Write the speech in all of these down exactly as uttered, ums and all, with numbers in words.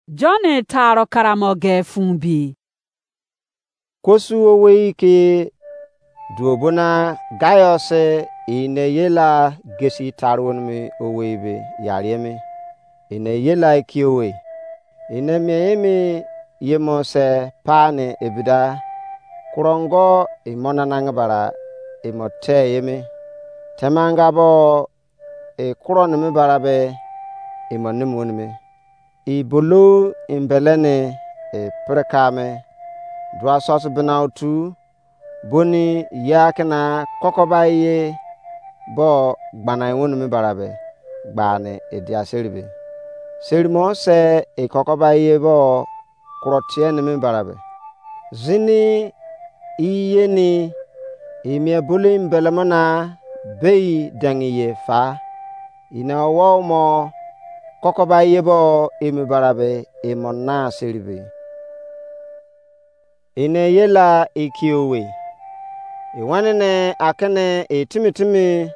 John taro karamo ge fun bi. Kosu owei ke duobona Gaius ine ye la gesi taro nimi owei be yariemi. Ine ye la ikiowe. Ine mie emi yemo se pa ne ebida. Kurongo imo nanang bara imo te yemi. Temanga bo e kuro nimi bara be imo nimi wonimi. I bolo imbele ni e pirika me. Dua sosi bina otu boni ye akina kokoba ye bo gbana wonimi bara be gbani e dia seri be. Seri mo se e kokoba ye bo kuro tie nimi bara be. Zini iyeni imie bulu imbelemo na bei dengi ye fa. Ine owo mo kokoba ye bo emi bara be emo na seri be. Ine ye la ikiowe. Iwenene akene etimi timi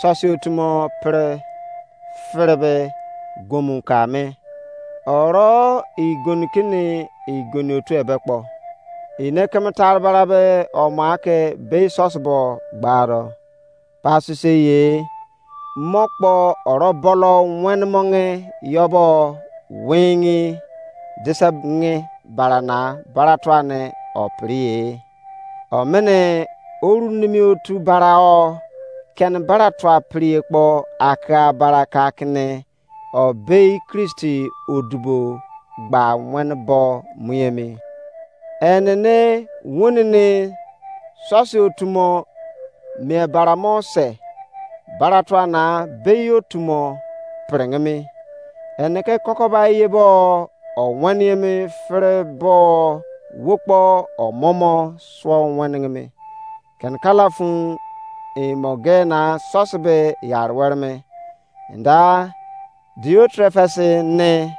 sosi otumo pere fere be gomu ka me. Oro igoni kini igoni otu ebe kpo. Ine keme tare bara be omo ake bei sosi bo gbaro. Pasise ye mo kpo oro bolo wen monge yobo wingi dise ngi bara na bara tuane opiri ye. Omene oru nimi otu bara o keni bara tua piri kpo aka bara ka kini o bei Kristi odubo gba wen bo mu emi. Enene wonene sosi otumo mie bara mo se bara tua na bei otumo piringimi. Ene ke kokoba ye bo o wen emi fere bo wo kpo omomo suo wenengimi. Keni kala fun imo ge na sosi be yari were me. Nda Diotrefes ne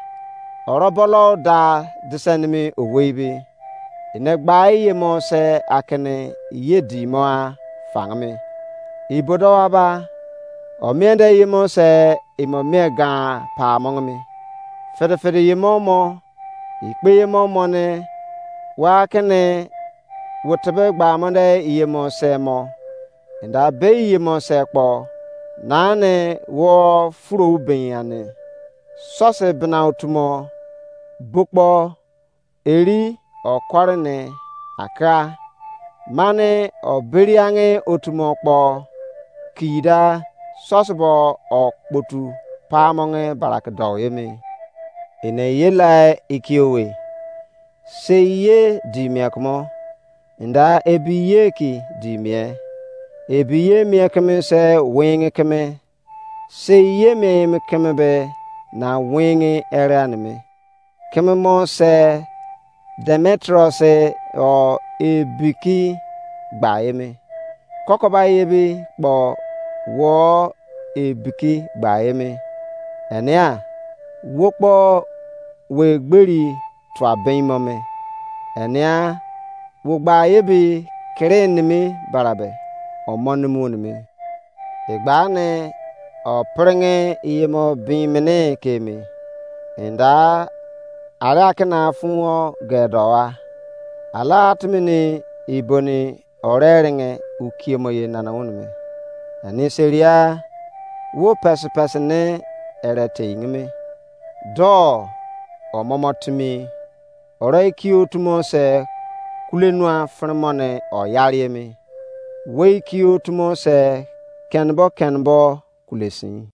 orobolo da disenimi owei be. Ene gba iye mo se akene ye di mo a fangimi. Ibodo aba o mie de ye mo se imo mie gan pa mongimi. Fede fede ye mo mo ikpe ye mo mo ne wa kene wo tebe gba mo de iye mo se mo. Enda be iye mo se kpo nane wo furo ben ane. Sose bena otumo bokpo eri okore ne aka mane oberiange otumo kpo kida sose bo okpotu pamonge barake dou emi. Ene ye lai ikiowe. Sei ye di mie kumo, enda ebi ye ki di mie. Ebi ye mie keme se winge keme. Sei ye mie eme keme be na winge ere aneme. Keme mo se Demetrius o ebiki gba eme. Kokoba ye bi kpo wo ebiki gba eme. Enea wo kpo we gberi tua bein mo me. Enea wo gba ye bi kere nimi barabe omo nimi wonimi. Egba ne o pringe iye mo bin mene ke mi. Enda ara kena fun o gedo wa. Ala atimi ni iboni ore ringe ukiemo ye nana wonu me. Ani seria wo pesi pesi ne ere te ingime. Do omomo timi ore iki otumo se kule nua fremo ne oyari emi. Wo iki otumo se kenbo kenbo kule sin.